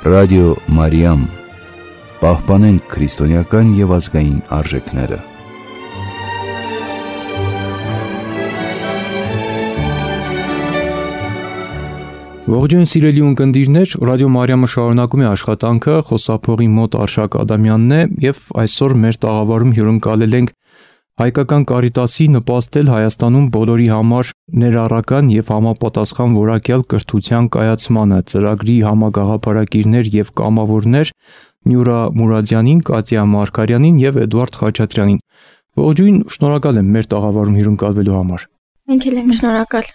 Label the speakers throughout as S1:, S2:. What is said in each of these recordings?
S1: Ռադիո Մարիամ, պահպանենք քրիստոնեական և ազգային արժեքները։
S2: Ողջույն սիրելի ունկնդիրներ, Ռադիո Մարիամը շարունակում է աշխատանքը, խոսափողի մոտ Արշակ Ադամյանն է և այսօր մեր տաղավարում հյուրընկալել ենք Հայկական Կարիտասի նպաստել Հայաստանում բոլորի համար ներառական և համապատասխան որակյալ կրթության կայացմանը ծրագրի համագաղափարակիրներ և կամավորներ Նյուրա Մուրադյանին, Կատյա Մարգարյանին և Էդուարդ Խաչատրյանին։ Ողջույն, շնորհակալ եմ մեր տաղավարում հյուրընկալվելու համար։
S3: Մենք էլ ենք շնորհակալ։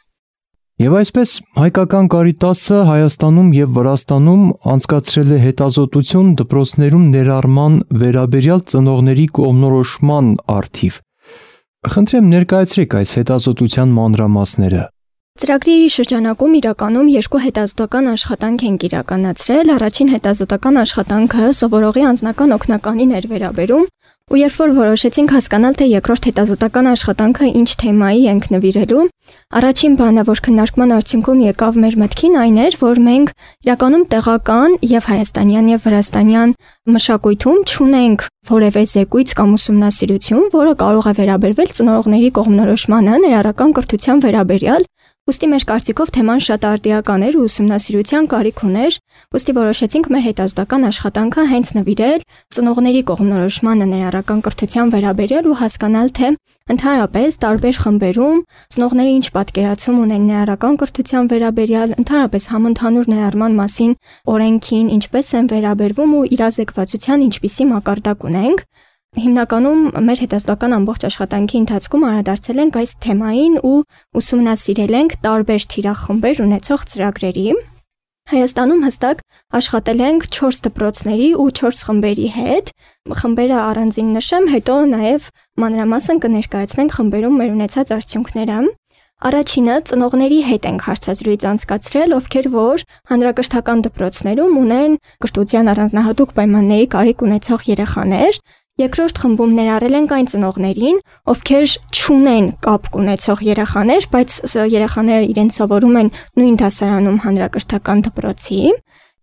S2: Եվ այսպես Հայկական Կարիտասը Հայաստանում և Վրաստանում անցկացրել է հետազոտություն դպրոցներում ներառման վերաբերյալ ծնողների կողմնորոշման առթիվ։ Խնդրեմ ներկայացրեք այս հետազոտության մանրամասները։
S3: Ծրագրի շրջանակում իրականում երկու հետազոտական աշխատանք ենք իրականացրել։ Առաջին հետազոտական աշխատանքը սովորողի անձնական օգնականին էր վերաբերում, ու երբ որ որոշեցինք հասկանալ, թե երկրորդ հետազոտական աշխատանքը ինչ թեմայի ենք նվիրելու, առաջին բանը, որ քննարկման արդյունքում եկավ մեր մտքին, այն էր, որ մենք իրականում տեղական եւ հայաստանյան եւ վրաստանյան մշակույթում չունենք որևէ զեկույց կամ ուսումնասիրություն, որը կարող է վերաբերվել ծնողների կողմնորոշմանը ներառական կրթության վերաբերյալ։ Ուստի մեր կարծիքով թեման շատ արդիական էր ու ուսումնասիրության կարիք ուներ, ուստի որոշեցինք մեր հետազոտական աշխատանքը հենց նվիրել ծնողների կողմնորոշմանը ներառական կրթության վերաբերյալ ու հասկանալ, թե ընդհանրապես տարբեր խմբերում ծնողները ինչ պատկերացում ունեն ներառական կրթության վերաբերյալ, ընդհանրապես համընդհանուր ներառման մասին օրենքին ինչպես են վերաբերվում ու իրազեկվածության ինչպիսի մակարդակ ունենք։ Հիմնականում մեր հետազոտական ամբողջ աշխատանքի ընթացքում անդրադարձել ենք այս թեմային ու ուսումնասիրել ենք տարբեր թիրախմբեր ունեցող ծրագրերի։ Հայաստանում հստակ աշխատել ենք 4 դպրոցների ու 4 խմբերի հետ։ Խմբերը առանձին նշեմ, հետո նաև մանրամասն կներկայացնենք խմբերում մեր ունեցած արդյունքները։ Առաջինը ծնողների հետ ենք հարցազրույց անցկացրել, ովքեր որ հանրակրթական դպրոցներում ունեն կրթության առանձնահատուկ պայմանների կարիք ունեցող երեխաներ։ Երկրորդ խմբում ներառել ենք այն ծնողներին, ովքեր չունեն կապ ունեցող երեխաներ, բայց երեխաները իրենց սովորում են նույն դասարանում հանրակրթական դպրոցի։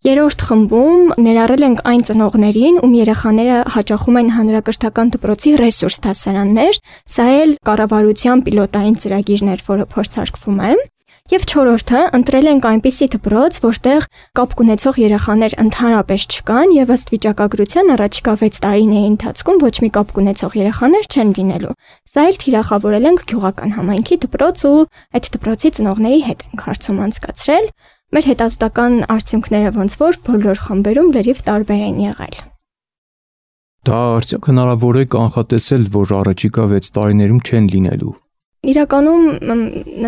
S3: Երրորդ խմբում ներառել ենք այն ծնողներին, ում երեխաները հաճախում են հանրակրթական դպրոցի ռեսուրս դասարաններ, սա էլ կառավարության պիլոտային ծրագիրն էր, որը փորձարկվում է։ Եվ չորրորդը ընտրել ենք այնպիսի դպրոց, որտեղ կապ ունեցող երեխաներ ընդհանրապես չկան եւ ըստ վիճակագրության առաջիկա 6 տարիների ընթացքում ոչ մի կապ ունեցող երեխաներ չեն լինելու։ Սա էլ թիրախավորել ենք գյուղական համայնքի դպրոց ու այդ դպրոցի ծնողների հետ ենք հարցում անցկացրել։ Մեր հետազոտական արդյունքները ոնց որ բոլոր խմբերում լրիվ տարբեր են եղել։
S2: Դա արդյոք հնարավոր է կանխատեսել, որ առաջիկա 6 տարիներում չեն լինելու։
S3: Իրականում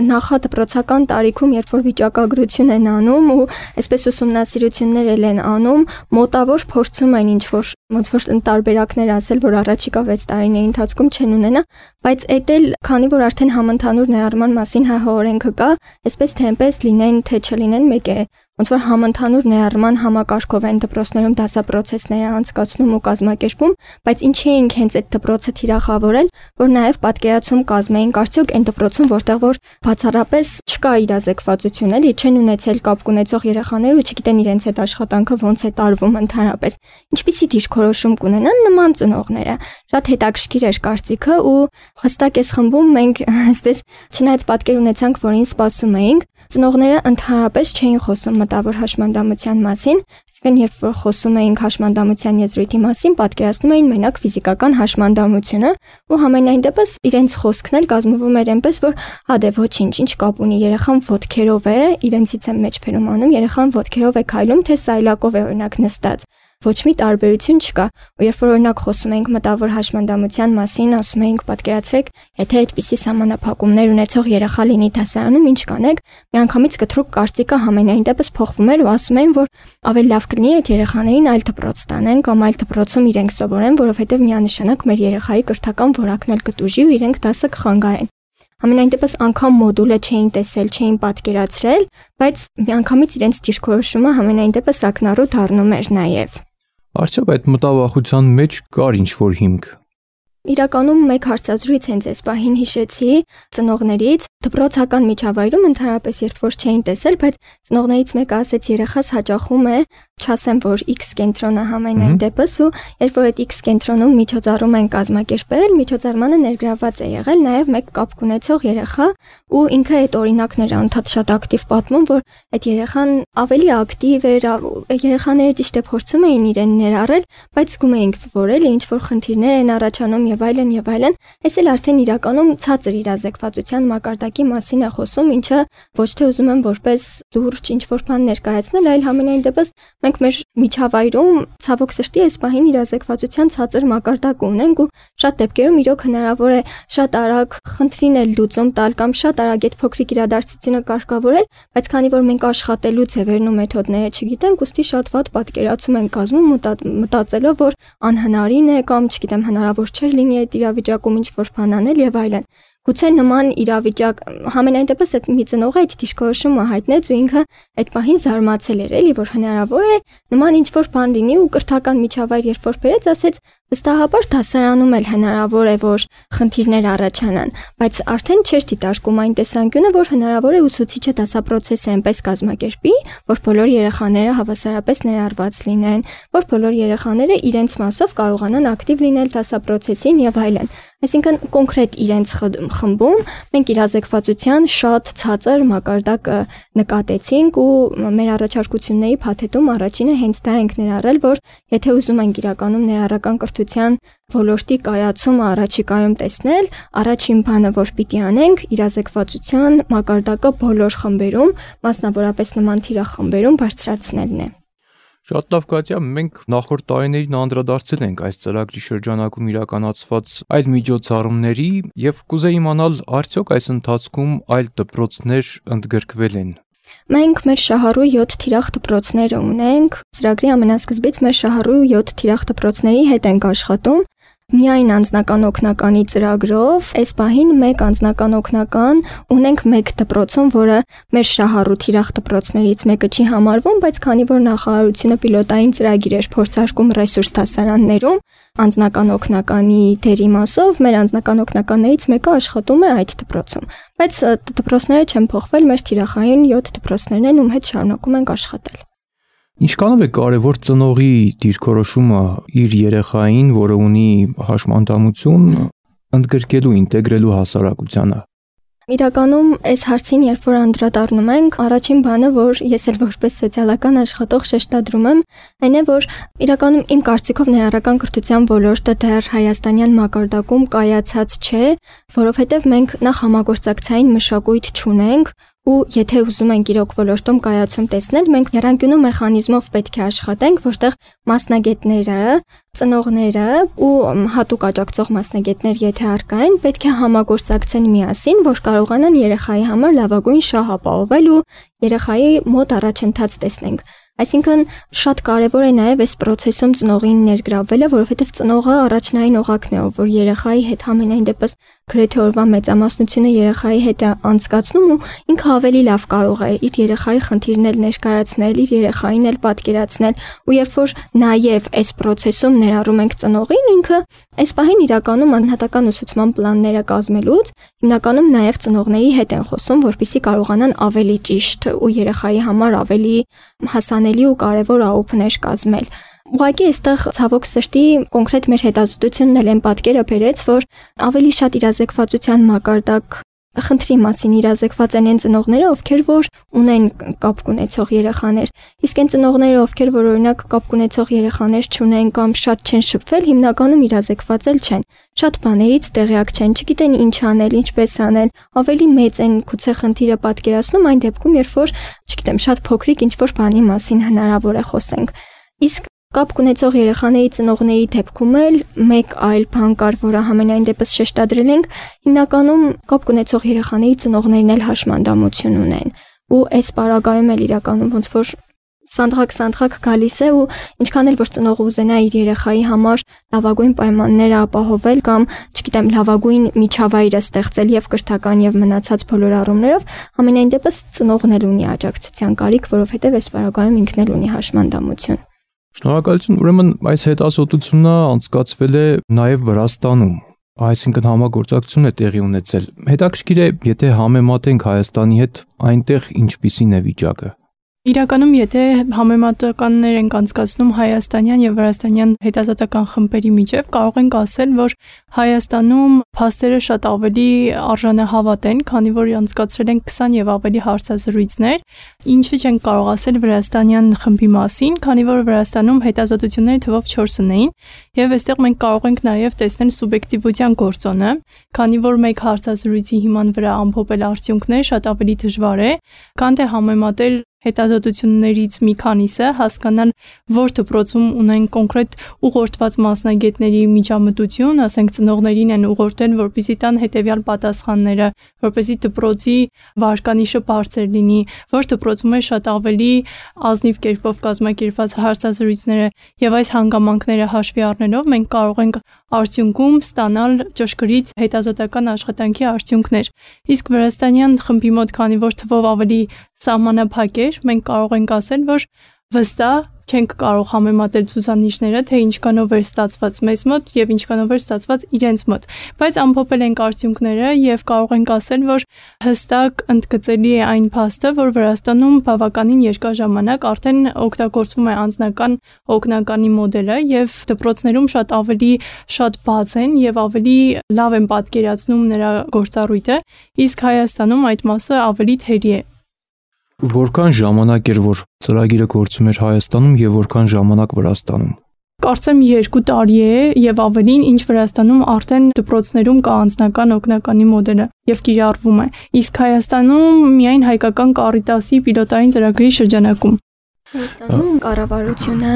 S3: նախադպրոցական տարիքում, երբ որ վիճակագրություն են անում ու այսպես ուսումնասիրություններ են անում, մոտավոր փորձում են ինչ-որ ոնց որ տարբերակներ ասել, որ առաջիկա 6 տարիների ընթացքում չեն ունենա, բայց այդ էլ քանի որ արդեն համընդհանուր ներառման մասին ՀՀ օրենքը կա, այսպես թե այնպես լինեն, թե չլինեն, մեկ է։ Ոնց որ համընդհանուր ներառման համակարգով են դպրոցներում դասապրոցեսները անցկացնում ու կազմակերպում, բայց ինչի ենք հենց այդ դպրոցը թիրախավորել, որ նաև պատկերացում կազմեինք արդյոք այն դպրոցում, որտեղ որ բացառապես չկա իրազեկվածություն, էլի չեն ունեցել կապ ունեցող երեխաներ ու չգիտեն իրենց այդ աշխատանքը ոնց է տարվում ընդհանրապես։ Ինչպիսի դիրքորոշում կունենան նման ծնողները։ Շատ հետաքրքիր էր կարծիքը ու հստակ այս խմբում մենք այսպես չնայած պատկեր ունեցանք, որին սպասում էինք, ծնողները ընդհանրապես չէին խոսում մտավոր հաշմանդամության մասին, այսինքն երբ որ խոսում էինք հաշմանդամության եզրույթի մասին, պատկերացնում էին մենակ ֆիզիկական հաշմանդամությունը ու համենայն դեպս իրենց խոսքն էլ կազմվում էր այնպես, որ դե ոչինչ, ինչ կապ ունի, երեխան ոտքերով է, իրենցից եմ մեջբերում անում, երեխան ոտքերով է քայլում, թե սայլակով է օրինակ նստած։ Ոչ մի տարբերություն չկա։ Ու երբ որ օրինակ խոսում ենք մտավոր հաշմանդամության մասին, ասում ենք պատկերացրեք, եթե այդպիսի սահմանափակումներ ունեցող երեխա լինի դասարանում, ինչ կանեք, միանգամից կտրուկ կարծիքը համենայն դեպս փոխվում էր ու ասում էին, որ ավելի լավ կլինի այդ երեխաներին այլ դպրոց տանեն կամ այլ դպրոցում իրենք սովորեն, որովհետև միանշանակ մեր երեխայի կրթական որակն էլ կտուժի ու իրենք դասը կխանգարեն։ Համենայն դեպս անգամ մոդուլը չէին տեսել, չէին պատկերացրել, բայց միանգամից իրենց դիրքորոշումը համենայն դեպս ակնառու դառնում էր նաև։
S2: Արդյոք այդ մտավախության մեջ կար ինչ-որ հիմք։
S3: Իրականում մեկ հարցազրույց հենց այս պահին հիշեցի ծնողներից, դպրոցական միջավայրում ընդհանրապես երբ որ չէին տեսել, բայց ծնողներից մեկը ասեց երեխաս հաճախում է, չասեմ որ X կենտրոնը համենայն դեպս ու երբ որ այդ X կենտրոնում միջոցառում են կազմակերպել, միջոցառմանը ներգրավված է եղել նաև մեկ կապ ունեցող երեխա ու ինքը այդ օրինակները անդադ շատ ակտիվ պատմում, որ այդ երեխան ավելի ակտիվ էր, երեխաները ճիշտ է փորձում էին իրեն ներառել, բայց զգում էինք, որ էլի ինչ որ խնդիրներ են առաջանում եւ այլն եւ այլն, այս էլ արդեն իրականում ցածր իրազեկվածության մակարդակի մասին է խոսում, ինչը ոչ թե ուզում եմ որպես լուրջ ինչ որ բան ներկայացնել, այլ համենայն դեպս մենք մեր միջավայրում ցավոք սրտի այս պահին իրազեկվածության ցածր մակարդակ ունենք ու շատ դեպքերում իրոք հնարավոր է շատ արագ խնդրին էլ լուծում տալ կամ շատ արագ այդ փոքրիկ իրադարձությունը կարգավորել, բայց քանի որ մենք աշխատելուց է վերնում մեթոդները չգիտենք, ուստի շատ վատ պատկերացում են կազմում մտածելով, որ անհնարին է կամ չգիտեմ հնարավոր չէր լինի այդ իրավիճակում ինչ որ բան անել եւ այլն։ Գուցե նման իրավիճակ համենայն դեպս այդ մի ծնողը այդ դիրքորոշումը հայտնեց ու ինքը այդ պահին զարմացել էր էլի որ հնարավոր է նման ինչ որ բան լինի ու կրթական միջավայր երբ որ բերեց ասեց վստահաբար դասարանում էլ հնարավոր է որ խնդիրներ առաջանան, բայց արդեն չէր դիտարկում այն տեսանկյունը, որ հնարավոր է ուսուցիչը դասապրոցեսը այնպես կազմակերպի, որ բոլոր երեխաները հավասարապես ներառված լինեն, որ բոլոր երեխաները իրենց մասով կարողանան ակտիվ լինել դասապրոցեսին եւ այլն։ Այսինքն կոնկրետ իրենց խմբում մենք իրազեկվածության շատ ցածր մակարդակը նկատեցինք ու մեր առաջարկությունների փաթեթում առաջինը հենց դա ենք ներառել, որ եթե ուզում ենք իրականում ներառական կրթության ոլորտի կայացումը առաջիկայում տեսնել, առաջին բանը, որ պիտի անենք, իրազեկվածության մակարդակը բոլոր խմբերում, մասնավորապես նման թիրախմբերում բարձրացնելն է։
S2: Շատ լավ Կատյա, մենք նախորդ տարիներին անդրադարձել ենք այս ծրագրի շրջանակում իրականացված այլ միջոցառումների եւ կուզեի իմանալ, արդյոք այս ընթացքում այլ դպրոցներ ընդգրկվել են։
S3: Մենք մեր շահառու 7 թիրախ դպրոցները ունենք, ծրագրի ամենասկզբից մեր շահառու 7 թիրախ դպրոցների հետ ենք աշխատում, միայն անձնական օգնականի ծրագրով, այս պահին մեկ անձնական օգնական ունենք մեկ դպրոցում, որը մեր շահառու թիրախ դպրոցներից մեկը չի համարվում, բայց քանի որ նախարարությունը պիլոտային ծրագիր էր փորձարկում ռեսուրս դասարաններում, անձնական օգնականի դերի մասով մեր անձնական օգնականներից մեկը աշխատում է այդ դպրոցում, բայց դպրոցները չեն փոխվել, մեր թիրախային 7 դպրոցներն են, ում հետ շարունակում ենք աշխատել։
S2: Ինչքանով է կարևոր ծնողի դիրքորոշումը իր երեխային, որը ունի հաշմանդամություն, ընդգրկելու, ինտեգրելու հասարակությանը։
S3: Իրականում այս հարցին երբ որ անդրադառնում ենք, առաջին բանը, որ ես էլ որպես սոցիալական աշխատող շեշտադրում եմ, այն է, որ իրականում իմ կարծիքով ներառական կրթության ոլորտը դեռ հայաստանյան մակարդակում կայացած չէ, որովհետև մենք նախ համագործակցային մշակույթ չունենք, ու եթե ուզում ենք իրոք ոլորտում կայացում տեսնել, մենք եռանկյունու մեխանիզմով պետք է աշխատենք, որտեղ մասնագետները, ծնողները ու հատուկ աջակցող մասնագետներ, եթե առկա են, պետք է համագործակցեն միասին, որ կարողանան երեխայի համար լավագույն շահ ապահովել ու երեխայի մոտ առաջընթաց տեսնենք։ Այսինքն շատ կարևոր է նաև այս process-ում ծնողին ներգրավվելը, որովհետև ծնողը առաջնային օղակն է, որ երեխայի հետ համենայն դեպս գրեթե օրվա մեծամասնությունը երեխայի հետ է անցկացնում ու ինքը ավելի լավ կարող է իր երեխայի խնդիրն էլ ներկայացնել, իր երեխային էլ պատկերացնել ու երբ որ նաև այս process-ում ներառում ենք ծնողին, ինքը այս պահին իրականում անհատական ուսուցման պլանները կազմելուց հիմնականում նաև ծնողների հետ են խոսում, որպեսզի կարողանան ավելի ճիշտ ու երեխայի համար ավելի հասանելի ու կարևոր աուփներ կազմել։ Ուղղակի այստեղ ցավոք սրտի կոնկրետ մեր հետազոտությունն էլ են պատկերը բերեց, որ ավելի շատ իրազեկվածության մակարդակ խնդրի մասին իրազեկված են այն ծնողները, ովքեր որ ունեն կապ ունեցող երեխաներ, իսկ այն ծնողները, ովքեր որ օրինակ կապ ունեցող երեխաներ չունեն կամ շատ չեն շփվել, հիմնականում իրազեկված էլ չեն։ Շատ բաներից տեղյակ չեն, չգիտեն ինչ անել, ինչպես անել, ավելի մեծ են գուցե խնդիրը պատկերացնում այն դեպքում, երբ որ, չգիտեմ, շատ փոքրիկ ինչ որ բանի մասին հնարավոր է խոսենք։ Իսկ կապ ունեցող երեխաների ծնողների դեպքում էլ մեկ այլ բան կար, որը համենայն դեպս շեշտադրել ենք, հիմնականում կապ ունեցող երեխաների ծնողներն էլ հաշմանդամություն ունեն։ Ու այս պարագայում էլ իրականում ոնց որ սանդղակ գալիս է ու ինչքան էլ որ ծնողը ուզենա իր երեխայի համար լավագույն պայմանները ապահովել կամ, չգիտեմ, լավագույն միջավայրը ստեղծել եւ կրթական եւ մնացած բոլոր առումներով, ամենայն դեպս ծնողն էլ ունի աջակցության կարիք, որովհետեւ այս պարագայում ինքն էլ ունի հաշմանդամություն։
S2: Շնորհակալություն, ուրեմն այս հետազոտությունը անցկացվել է նաև Վրաստանում։ այսինքն համագործակցություն է տեղի ունեցել։ Հետաքրքիր է, եթե համեմատենք Հայաստանի հետ, այնտեղ ինչպիսին է վիճակը։
S4: Իրականում, եթե համեմատականներ ենք անցկացնում հայաստանյան եւ վրաստանյան հետազոտական խմբերի միջև, կարող ենք ասել, որ Հայաստանում փաստերը շատ ավելի արժանահավատ են, քանի որ անցկացրել են 20 եւ ավելի հարցազրույցներ, ինչը չենք կարող ասել վրաստանյան խմբի մասին, քանի որ Վրաստանում հետազոտությունների թվով 4-ն էին, եւ այստեղ մենք կարող ենք նաեւ տեսնել սուբյեկտիվության գործոնը, քանի որ մեկ հարցազրույցի հիման վրա ամփոփել արդյունքներ շատ ավելի դժվար է, քան թե համեմատել հետազոտություններից մի քանիսը, հասկանալ, որ դպրոցում ունեն կոնկրետ ուղղորդված մասնագետների միջամտություն, ասենք ծնողներին են ուղղորդել, որպեսզի տան հետևյալ պատասխանները, որպեսզի դպրոցի վարկանիշը բարձր լինի, որ դպրոցում է շատ ավելի ազնիվ կերպով կազմակերպված հարցազրույցները, եւ այս հանգամանքները հաշվի առնելով մենք կարող ենք արդյունքում ստանալ ճշգրիտ հետազոտական աշխատանքի արդյունքներ։ Իսկ վրաստանյան խմբի մոտ, քանի որ թվով ավելի սահմանափակ էր, մենք կարող ենք ասել, որ վստահ չենք կարող համեմատել ցուցանիշները, թե ինչքանով էր ստացված մեզ մոտ եւ ինչքանով էր ստացված իրենց մոտ, բայց ամփոփել ենք արդյունքները եւ կարող ենք ասել, որ հստակ ընդգծելի է այն փաստը, որ Վրաստանում բավականին երկար ժամանակ արդեն օգտագործվում է անձնական օգնականի մոդելը եւ դպրոցներում շատ բաց են եւ ավելի լավ են պատկերացնում նրա գործառույթը, իսկ Հայաստանում այդ մասը ավելի թերի է։
S2: Որքան ժամանակ էր, որ ծրագիրը գործում էր Հայաստանում եւ որքան ժամանակ Վրաստանում։
S4: Կարծեմ 2 տարի է եւ ավելին, ինչ Վրաստանում արդեն դպրոցներում կա անձնական օգնականի մոդելը եւ կիրառվում է։ Իսկ Հայաստանում միայն հայկական Կարիտասի պիլոտային ծրագրի շրջանակում։
S3: Հայաստանում կառավարությունը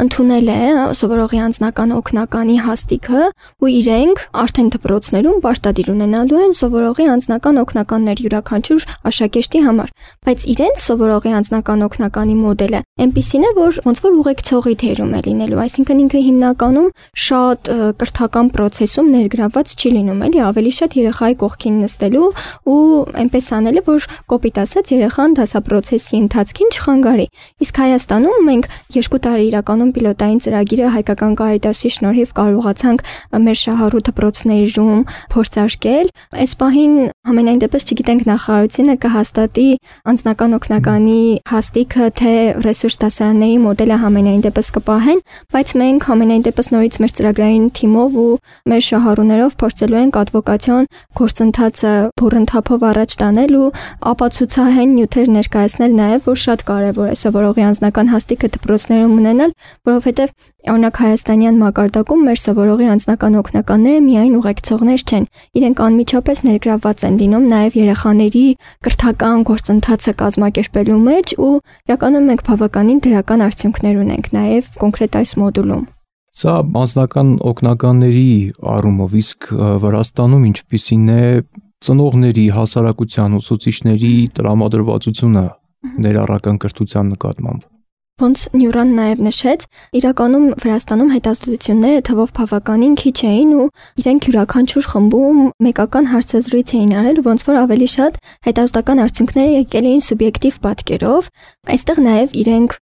S3: ընդունել է սովորողի անձնական օգնականի հաստիքը ու իրենք արդեն դպրոցներում պարտադիր ունենալու են սովորողի անձնական օգնականներ յուրաքանչյուր աշակերտի համար, բայց իրենց սովորողի անձնական օգնականի մոդելը այնպիսին է, որ ոնց որ ուղեկցողի թերում է լինելու, այսինքն ինքը հիմնականում շատ կրթական process-ում ներգրավված չի լինում, էլի ավելի շատ երեխայի կողքին նստելու ու այնպես անելը, որ կոպիտ ասած երեխան դասապրոցեսի ընթացքին չխանգարի։ Իսկ Հայաստանում մենք 2 տարի իրականում պիլոտային ծրագիրը հայկական Կարիտասի շնորհիվ կարողացանք մեր շահառու դպրոցներում փորձարկել։ Այս պահին համենայն դեպս չգիտենք նախարարությունը կհաստատի անձնական օգնականի հաստիքը, թե ռեսուրս դասարանների մոդելը համենայն դեպս կպահեն, բայց մենք համենայն դեպս նորից մեր ծրագրային թիմով ու մեր շահառուներով փորձելու ենք advocation գործընթացը բուրընդհափով առաջ տանել ու ապացուցահեն նյութեր ներկայացնել նաև, որ շատ կարևոր է սովորողի անձնական հաստիքը դպրոցներում ունենալ, որովհետև օրինակ հայաստանյան մակարդակում մեր սովորողի անձնական օգնականները միայն ուղեկցողներ չեն, իրենք անմիջապես ներգրավված են լինում նաև երեխաների կրթական գործընթացը կազմակերպելու մեջ ու իրականում մենք բավականին դրական արդյունքներ ունենք նաև կոնկրետ այս մոդուլում։
S2: Սա անձնական օգնականների առումով, իսկ Վրաստանում ինչպիսին է ծնողների, հասարակության ուսուցիչների տրամադրվածությունը ներառական կրթության նկատմամբ։
S3: Ոնց Նյուրան նաև նշեց, իրականում Վրաստանում հետազոտությունները թվով բավականին քիչ էին ու իրենք յուրաքանչյուր խմբում մեկական հարցազրույց էին արել, ոնց որ ավելի շատ հետազոտական արդյունքները եկել էին սուբյեկտիվ պատկերով, այստեղ նաև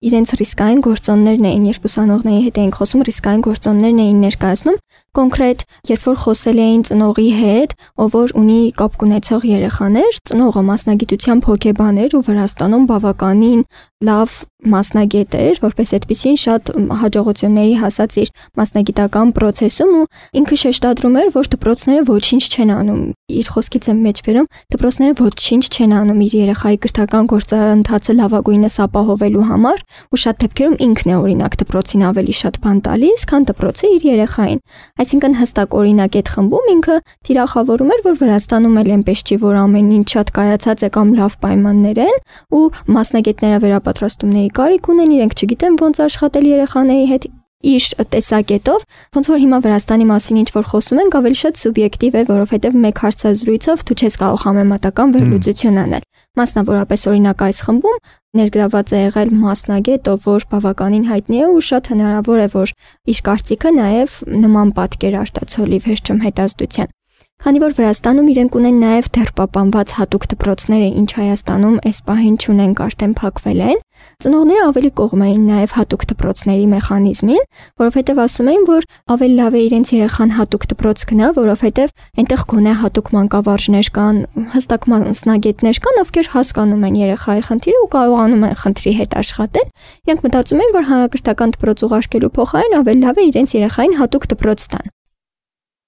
S3: իրենց ռիսկային գործոններն էին, երբ ուսանողների հետ էին խոսում, ռիսկային գործոններն էին ներկայացնում, կոնկրետ, երբ որ խոսել էին ծնողի հետ, ով որ ունի կապ ունեցող երեխաներ, ծնողը մասնագիտությամբ հոգեբան էր ու Վրաստանում բավականին լավ մասնագետ էր, որպես այդպեսին շատ հաջողությունների հասած իր մասնագիտական process-ում ու ինքը շեշտադրում էր, որ դպրոցները ոչինչ չեն անում, իր խոսքից եմ մեջ բերում, դպրոցները ոչինչ չեն անում իր երեխայի կրթական գործընթացը լավագույնս ապահովելու համար ու շատ դեպքերում ինքն է օրինակ դպրոցին ավելի շատ բան տալիս, քան դպրոցը իր երեխային։ Այսինքն հստակ օրինակ այդ խմբում ինքը թիրախավորում էր, որ Վրաստանում էլ այնպես չի, որ ամեն ինչ շատ կայացած է կամ լավ պայմաններ են ու մասնագետները վերապատրաստումների կարիք ունեն, իրենք չգիտեն ոնց աշխատել երեխաների հետ իր տեսակետով, ոնց որ հիմա Վրաստանի մասին ինչ որ խոսում ենք, ավելի շատ սուբյեկտիվ է, որովհետև մեկ հարցազրույցով դու չես կարող համեմատական վերլուծություն անել։ Մասնավորապես օրինակ այս խմբում ներգրաված է եղել մասնագետ, ով որ բավականին հայտնի է ու շատ հնարավոր է, որ իր կարծիքը նաև նման պատկեր արտացոլի վերջում հետազոտության։ Քանի որ Վրաստանում իրենք ունեն նաև դեռ պահպանված հատուկ դպրոցները, ինչ Հայաստանում այս պահին չունենք, արդեն փակվել են, ծնողները ավելի կողմ էին նաև հատուկ դպրոցների մեխանիզմին, որովհետև ասում էին, որ ավելի լավ է իրենց երեխան հատուկ դպրոց գնա, որովհետև այնտեղ գոնե հատուկ մանկավարժներ կան, հստակ մասնագետներ կան, ովքեր հասկանում են երեխայի խնդիրը ու կարողանում են խնդրի հետ աշխատել։ Իրենք մտածում են, որ հանրակրթական դպրոց ուղարկելու փոխարեն ավելի լավ է իրենց երեխային հատուկ դպրոց տան։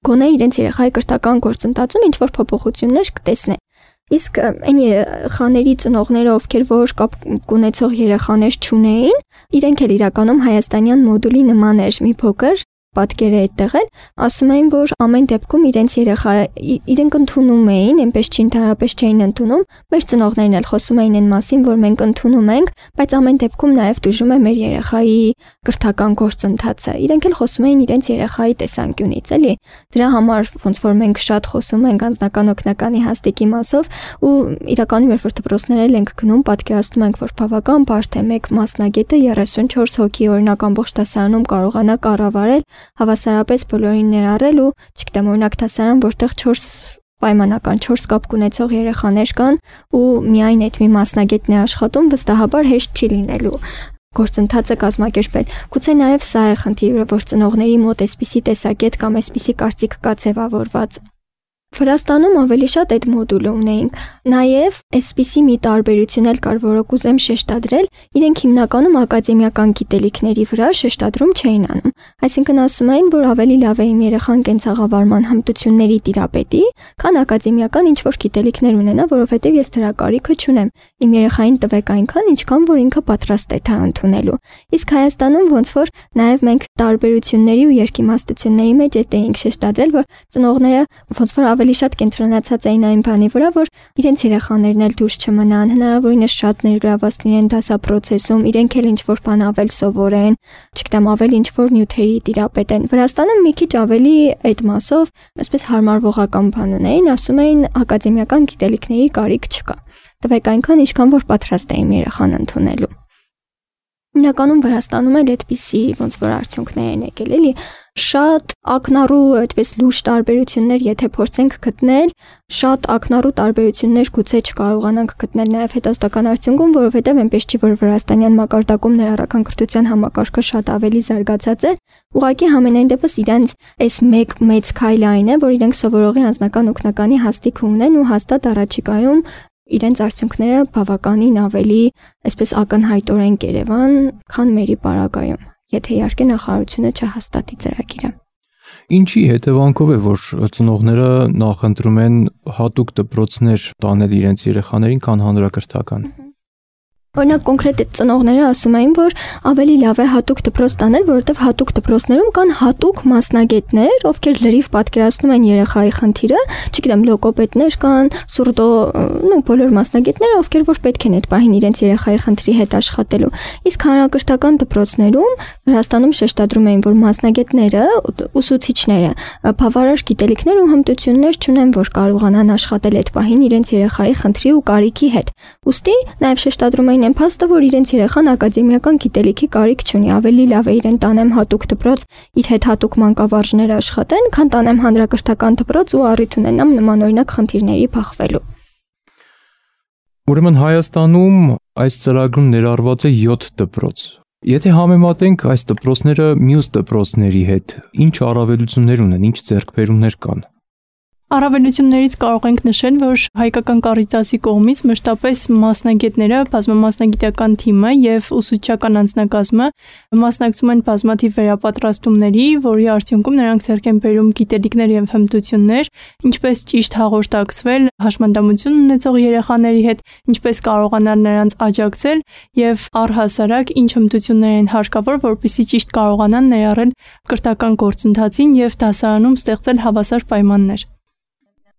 S3: Գոնե իրենց երեխայի կրթական գործընթացում ինչ-որ փոփոխություններ կտեսնեն։ Իսկ այն երեխաների ծնողները, ովքեր որ կապ ունեցող երեխաներ չունեին, իրենք էլ իրականում հայաստանյան մոդուլի նման էր մի փոքր պատկեր է այդտեղ էլ, ասում էին, որ ամեն դեպքում իրենք ընդունում էին, այնպես չինթարապես չէին ընդունում, մեր ծնողներն էլ խոսում էին այն մասին, որ մենք ընդունում ենք, բայց ամեն դեպքում նաև դժում է մեր երեխայի կրթական գործընթացը։ Իրենք էլ խոսում էին իրենց երեխայի տեսանկյունից, էլի։ Դրա համար ոնց որ մենք շատ խոսում ենք անձնական օգնականի հաստիկի մասով ու իրականում երբ որ դպրոցներ ենք գնում, պատկերացնում ենք, որ բավական բարդ է մեկ մասնագետը 34 հոգի օրինակ ամբողջ դասարանում կարողանա կառավարել հավասարապես բոլորին ներառել ու չգիտեմ օրինակ դասարան, որտեղ 4 կապ ունեցող երեխաներ կան ու միայն այդ մի մասնագետն է աշխատում, վստահաբար հեշտ չի լինելու գործընթացը կազմակերպել։ Գուցե նաև սա է խնդիրը, որ ծնողների մոտ այսպիսի տեսակետ կամ այսպիսի կարծիք կա ձևավորված։ Վրաստանում ավելի շատ այդ մոդուլը ունեինք։ Նաև այսպիսի մի տարբերություն էլ կար, որը կուզեմ շեշտադրել, իրենք հիմնականում ակադեմիական գիտելիքների վրա շեշտադրում չէին անում։ Այսինքն ասում էին, որ ավելի լավ է իմ երեխան կենցաղավարման հմտությունների տիրապետի, քան ակադեմիական ինչ-որ գիտելիքներ ունենա, որովհետև ես դրա կարիքը չունեմ։ Իմ երեխային տվեք այնքան, ինչքան որ ինքը պատրաստ է դա ընդունելու։ Իսկ Հայաստանում ոնց որ նաև մենք տարբերությունների ու երկիմաստությունների մեջ էինք շեշտադրել, որ ծնողները ոնց որ ավելի շատ կենտրոնացած էին այն բանի վրա, որ իրենց երեխաներն էլ դուրս չմնան, հնարավորինս շատ ներգրաված լինեն դասապրոցեսում, իրենք էլ ինչ-որ բան ավել սովորեն, չգիտեմ, ավել ինչ-որ նյութերի տիրապետեն։ Վրաստանում մի քիչ ավելի այդ մասով, այսպես հարմարվողական բան ունեին, ասում էին ակադեմիական գիտելիքների կարիք չկա։ Տվեք այնքան, ինչքան որ պատրաստ է իմ երեխան ընդունելու։ Հիմնականում Վրաստանում էլ այդպիսի ոնց որ արդյունքներ են եկել, էլի շատ ակնառու այդպես լուրջ տարբերություններ, եթե փորձենք գտնել, շատ ակնառու տարբերություններ գուցե չկարողանանք գտնել նաև հետազոտական արդյունքում, որովհետև այնպես չի, որ վրաստանյան մակարդակում ներառական կրթության համակարգը շատ ավելի զարգացած է, ուղղակի համենայն դեպս իրենց այս մեծ քայլը այն է, որ իրենք սովորողի անձնական օգնականի հաստիք ունեն ու հաստատ առաջիկայում իրենց արդյունքները բավականին ավելի այսպես ակնհայտորեն կերևան, քան մերի պարագայում, եթե իհարկե նախարարությունը չհաստատի ծրագիրը։
S2: Ինչի հետևանքով է, որ ծնողները նախընտրում են հատուկ դպրոցներ տանել իրենց երեխաներին, քան հանրակրթական։
S3: Օրինակ կոնկրետ ծնողները ասում էին, որ ավելի լավ է հատուկ դպրոց տանել, որովհետև հատուկ դպրոցներում կան հատուկ մասնագետներ, ովքեր լրիվ պատկերացնում են երեխայի խնդիրը, չգիտեմ, լոգոպեդներ կան, սուրդո, բոլոր մասնագետները, ովքեր որ պետք են այդ պահին իրենց երեխայի խնդրի հետ աշխատելու։ Իսկ հանրակրթական դպրոցներում Վրաստանում շեշտադրում էին, որ մասնագետները, ուսուցիչները բավարար գիտելիքներ ու հմտություններ չունեն, որ կարողանան աշխատել այդ պահին իրենց երեխայի խնդրի ու կարիքի հետ։ Ուստի նաև շեշտադրում այն փաստը, որ իրենց երեխան ակադեմիական գիտելիքի կարիք չունի, ավելի լավ է իրեն տանեմ հատուկ դպրոց, իր հետ հատուկ մանկավարժներ աշխատեն, քան տանեմ հանրակրթական դպրոց ու առիթ ունենամ նմանօրինակ խնդիրների բախվելու։
S2: Ուրեմն Հայաստանում այս ծրագրում ներառված է 7 դպրոց։ Եթե համեմատենք այս դպրոցները մյուս դպրոցների հետ, ինչ առավելություններ ունեն, ինչ ձեռքբերումներ կան։
S4: Առավելություններից կարող ենք նշել, որ հայկական Կարիտասի կողմից մշտապես մասնագետները, բազմամասնագիտական թիմը եւ ուսուցչական անձնակազմը մասնակցում են բազմաթիվ վերապատրաստումների, որի արդյունքում նրանք ձեռք են բերում գիտելիքներ եւ հմտություններ, ինչպես ճիշտ հաղորդակցվել հաշմանդամություն ունեցող երեխաների հետ, ինչպես կարողանալ նրանց աջակցել եւ առհասարակ ինչ հմտություններ են հարկավոր, որպեսզի ճիշտ կարողանան ներառել կրթական գործընթացին եւ դասարանում ստեղծել հավասար պայմաններ։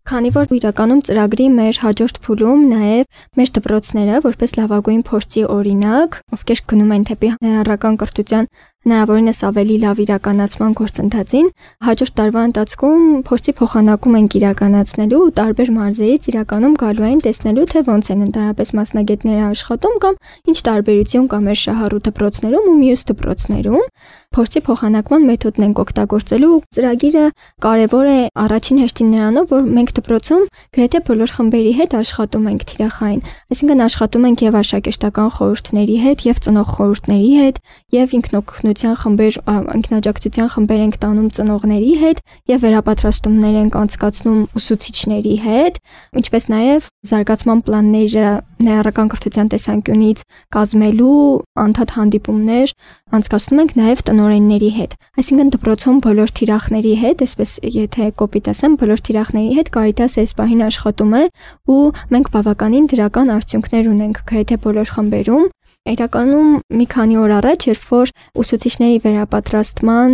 S3: Քանի որ իրականում ծրագրի մեր հաջորդ փուլում նաև մեր դպրոցները որպես լավագույն փորձի օրինակ, ովքեր գնում են թեպի ներառական կրթության հնարավորինս ավելի լավ իրականացման գործընթացին, հաջորդ տարվա ընթացքում փորձի փոխանակում ենք իրականացնելու ու տարբեր մարզերից իրականում գալու են տեսնելու, թե ոնց են ընդհանրապես մասնագետները աշխատում կամ ինչ տարբերություն կա մեր շահառու դպրոցներում ու մյուս դպրոցներում։ Փորձի փոխանակման մեթոդն ենք օգտագործելու։ Ծրագիրը կարևոր է առաջին հերթին նրանով, որ մենք դպրոցում գրեթե բոլոր խմբերի հետ աշխատում ենք թիրախային, այսինքն աշխատում ենք եւ աշակերտական խորհուրդների հետ, եւ ծնող խորհուրդների հետ, եւ ինքնօգնության խմբեր, ինքնաջակցության խմբեր ենք տանում ծնողների հետ, եւ վերապատրաստումներ ենք անցկացնում ուսուցիչների հետ, ինչպես նաեւ զարգացման պլանները ներառական կրթության տեսանկյունից կազմելու անդադ հանդիպումներ անցկացնում ենք նաեւ տնօրենների հետ։ Այսինքն դպրոցում բոլոր թիրախների հետ, այսպես եթե կոպիտ ասեմ, բոլոր թիրախների հետ Կարիտասը այս պահին աշխատում է ու մենք բավականին դրական արդյունքներ ունենք գրեթե բոլոր խմբերում։ Իրականում մի քանի օր առաջ, երբ որ ուսուցիչների վերապատրաստման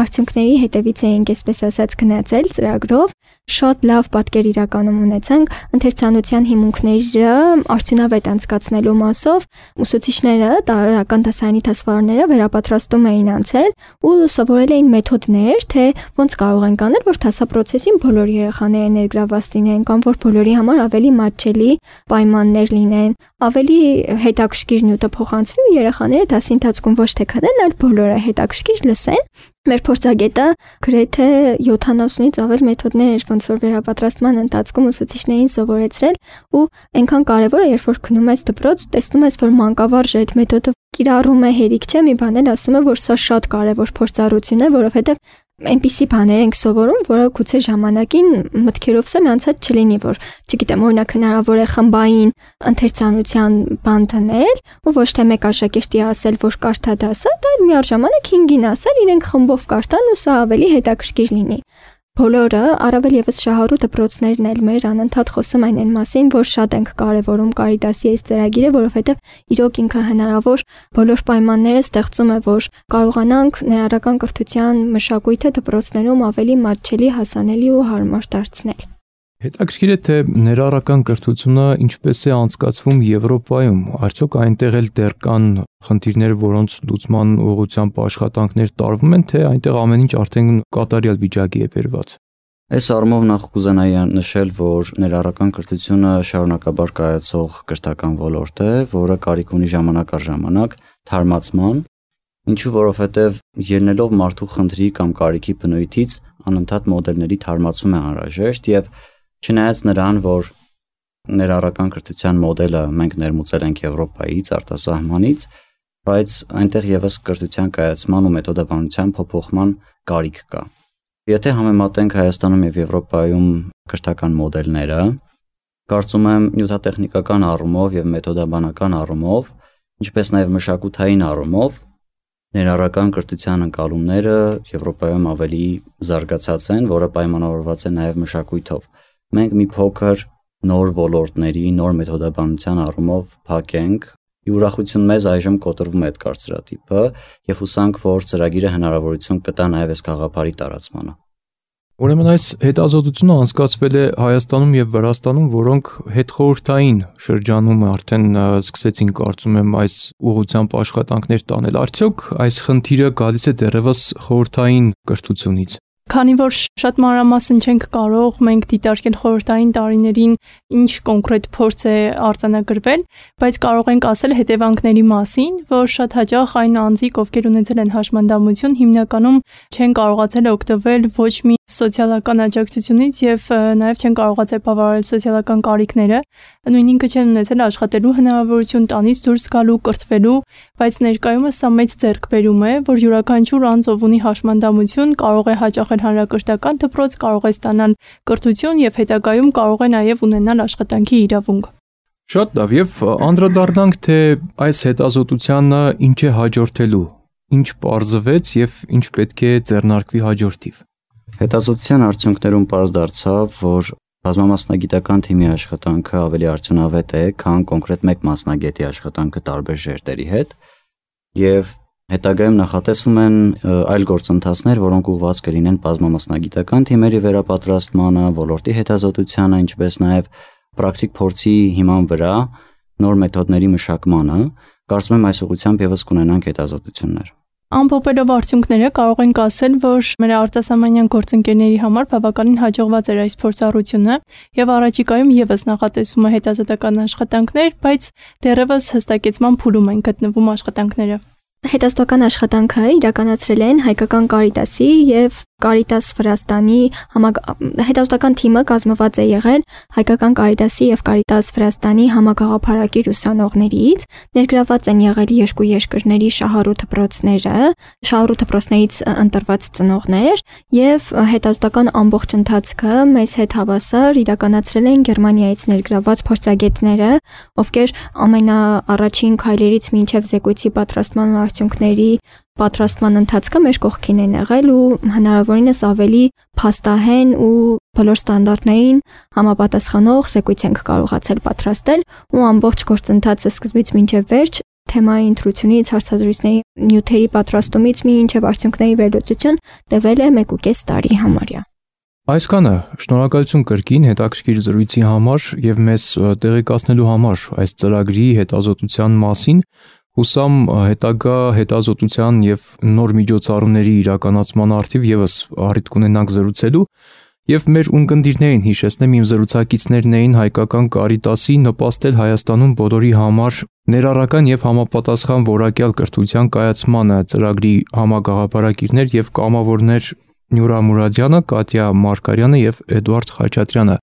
S3: արդյունքների հետևից էինք, այսպես ասած, գնացել ծրագրով, շատ լավ պատկեր իրականում ունեցանք ընթերցանության հիմունքները արդյունավետ անցկացնելու մասով ուսուցիչները տարրական դասարանի դասվարները վերապատրաստում էին անցել ու սովորել էին մեթոդներ, թե ոնց կարող ենք անել, որ դասապրոցեսին բոլոր երեխաները ներգրավված լինեն կամ որ բոլորի համար ավելի մատչելի պայմաններ լինեն, ավելի հետաքրքիր նյութը փոխանցվի ու երեխաները դասի ընթացքում ոչ թե քնեն, այլ բոլորը հետաքրքիր լսեն։ Մեր փորձագետը գրեթե 70-ից ավել մեթոդներ էր ոնց որ վերապատրաստման ընթացքում ուսուցիչներին սովորեցրել ու այնքան կարևոր է, երբ որ գնում ես դպրոց, տեսնում ես, որ մանկավարժը այդ մեթոդը կիրառում է, հերիք չէ, մի բան էլ ասում է, որ սա շատ կարևոր փորձառություն է, որովհետև այնպիսի բաներ ենք սովորում, որը գուցե ժամանակին մտքերովս էլ անցած չլինի, որ, չգիտեմ, օրինակ հնարավոր է խմբային ընթերցանության բան դնել, ու ոչ թե մեկ աշակերտի ասել, որ կարդա դասը, այլ միաժամանակ 5-ին ասել, իրենք խմբով կարդան ու սա ավելի հետաքրքիր լինի։ Բոլորը, առավել եւս շահառու դպրոցներն էլ մեր անընդհատ խոսում են այն մասին, որ շատ ենք կարևորում Կարիտասի այս ծրագիրը, որովհետեւ իրոք ինքը հնարավոր բոլոր պայմանները ստեղծում է, որ կարողանանք ներառական կրթության մշակույթը դպրոցներում ավելի մատչելի, հասանելի ու հարմար դարձնել։
S2: Հետաքրքիր է, թե ներառական կրթությունը ինչպես է անցկացվում Եվրոպայում, արդյոք այնտեղ էլ դեռ կան խնդիրներ, որոնց լուծման ուղղությամբ աշխատանքներ տարվում են, թե այնտեղ ամեն ինչ արդեն կատարյալ վիճակի է բերված։
S5: Այս առումով նախ կուզենայի նշել, որ ներառական կրթությունը շարունակաբար կայացող կրթական ոլորտ է, որը կարիք ունի ժամանակ առ ժամանակ թարմացման, ինչու որովհետև ելնելով մարդու խնդրի կամ կարիքի բնույթից անընդհատ մոդելների թարմացում է անհրաժեշտ եւ չնայած նրան, որ ներառական կրթության մոդելը մենք ներմուծել ենք Եվրոպայից, արտասահմանից, բայց այնտեղ եւս կրթության կայացման ու մեթոդաբանության փոփոխման կարիք կա։ Եթե համեմատենք Հայաստանում եւ Եվրոպայում կրթական մոդելները, կարծում եմ նյութատեխնիկական առումով եւ մեթոդաբանական առումով, ինչպես նաեւ մշակութային առումով, ներառական կրթության ընկալումները Եվրոպայում ավելի զարգացած են, որը պայմանավորված է նաեւ մշակույթով։ Մենք մի փոքր նոր ոլորտների, նոր մեթոդաբանության առումով փակ ենք, ուրախություն մեզ այժմ կոտրվում է այդ կարծրատիպը եւ հուսանք, որ ծրագիրը հնարավորություն կտա նաեւ այս գաղափարի տարածմանը։
S2: Ուրեմն այս հետազոտությունը անցկացվել է Հայաստանում եւ Վրաստանում, որոնք հետխորհրդային շրջանում արդեն սկսեցին, կարծում եմ, այս ուղղությամբ աշխատանքներ տանել։ Արդյոք այս խնդիրը գալիս է դեռևս խորհրդային կրթությունից։
S4: Քանի որ շատ մանրամասն չենք կարող մենք դիտարկել խորհրդային տարիներին ինչ կոնկրետ փորձ է արձանագրվել, բայց կարող ենք ասել հետևանքների մասին, որ շատ հաճախ այն անձիկ, ովքեր ունեցել են հաշմանդամություն, հիմնականում չեն կարողացել օգտվել ոչ մի սոցիալական աջակցությունից եւ նաեւ չեն կարողացել բավարարել սոցիալական կարիքները, նույն ինքը չեն ունեցել աշխատելու հնարավորություն, տանից դուրս գալու, կրթվելու, բայց ներկայումս սա մեծ ձեռքբերում է, որ յուրաքանչյուր անձ, ով ունի հաշմանդամություն, կարող է հաճախել հանրակրթական դպրոց, կարող է ստանալ կրթություն եւ հետագայում կարող է նաեւ ունենալ աշխատանքի իրավունք։
S2: Շատ լավ, եւ անդրադառնանք, թե այս հետազոտությանը ինչ է հաջորդելու, ինչ պարզվեց եւ ինչ պետք է ձեռնարկվի հաջորդիվ։
S5: Հետազոտության արդյունքներում պարզ դարձավ, որ բազմամասնագիտական թիմի աշխատանքը ավելի արդյունավետ է, քան կոնկրետ մեկ մասնագետի աշխատանքը տարբեր ժերտերի հետ, եւ հետագայում նախատեսվում են այլ գործընթացներ, որոնք ուղղված կլինեն բազմամասնագիտական թիմերի վերապատրաստմանը, ոլորտի հետազոտությանը, ինչպես նաեւ պրակտիկ փորձի հիման վրա նոր մեթոդների մշակմանը։ Կարծում եմ այս ուղղությամբ եւս կունենանք հետազոտություններ։
S4: Ամփոփելով արդյունքները կարող ենք ասել, որ մեր արտասահմանյան գործընկերների համար բավականին հաջողված էր այս փորձառությունը եւ առաջիկայում եւս նախատեսվում է հետազոտական աշխատանքներ, բայց դեռևս հստակեցման փուլում են գտնվում աշխատանքները։
S3: Հետազոտական աշխատանքը իրականացրել են Հայկական Կարիտասի եւ Կարիտաս Վրաստանի հետազոտական թիմը կազմված է եղել Հայկական Կարիտասի եւ Կարիտաս Վրաստանի համագաղափարակիր ուսանողներից, ներգրաված են եղել երկու երկրների շահառու դպրոցները, շահառու դպրոցներից ընտրված ծնողներ եւ հետազոտական ամբողջ ընթացքը մեզ հետ հավասար իրականացրել են Գերմանիայից ներգրաված փորձագետները, ովքեր ամենաառաջին քայլերից մինչեւ զեկույցի պատրաստման արդյունքների պատրաստման ընթացքը մեր կողքին են եղել ու հնարավորինս ավելի փաստահեն ու բոլոր ստանդարտներին համապատասխանող զեկույց ենք կարողացել պատրաստել ու ամբողջ գործընթացը սկզբից մինչև վերջ թեմայի ընտրությունից հարցազրույցների նյութերի պատրաստումից մինչև արդյունքների վերլուծություն տևել է 1.5 տարի համարյա։
S2: Այսքանը շնորհակալություն կրկին հետաքրքիր զրույցի համար եւ մեզ տեղեկացնելու համար այս ծրագրի հետազոտության մասին։ Հուսամ հետագա հետազոտության եւ նոր միջոցառումների իրականացման արդիվ եւս առիթ կունենանք զրուցելու եւ մեր ունկնդիրներին հիշեցնեմ իմ զրուցակիցներն էին Հայկական Կարիտասի նպաստել Հայաստանում բոլորի համար ներառական եւ համապատասխան որակյալ կրթության կայացմանը ծրագրի համագաղափարակիրներ եւ կամավորներ Նյուրա Մուրադյանը, Կատյա Մարկարյանը եւ Էդուարդ Խաչատրյանը։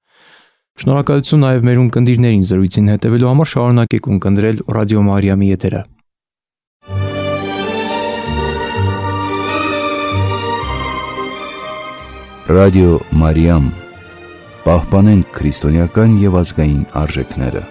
S2: Շնորհակալություն նաեւ մեր ունկնդիրներին զրույցին հետևելու համար, շարունակեք ունկնդրել Ռադիո Մարիամի եթերը։
S1: Ռադիո Մարիամ, պահպանենք քրիստոնեական եւ ազգային արժեքները։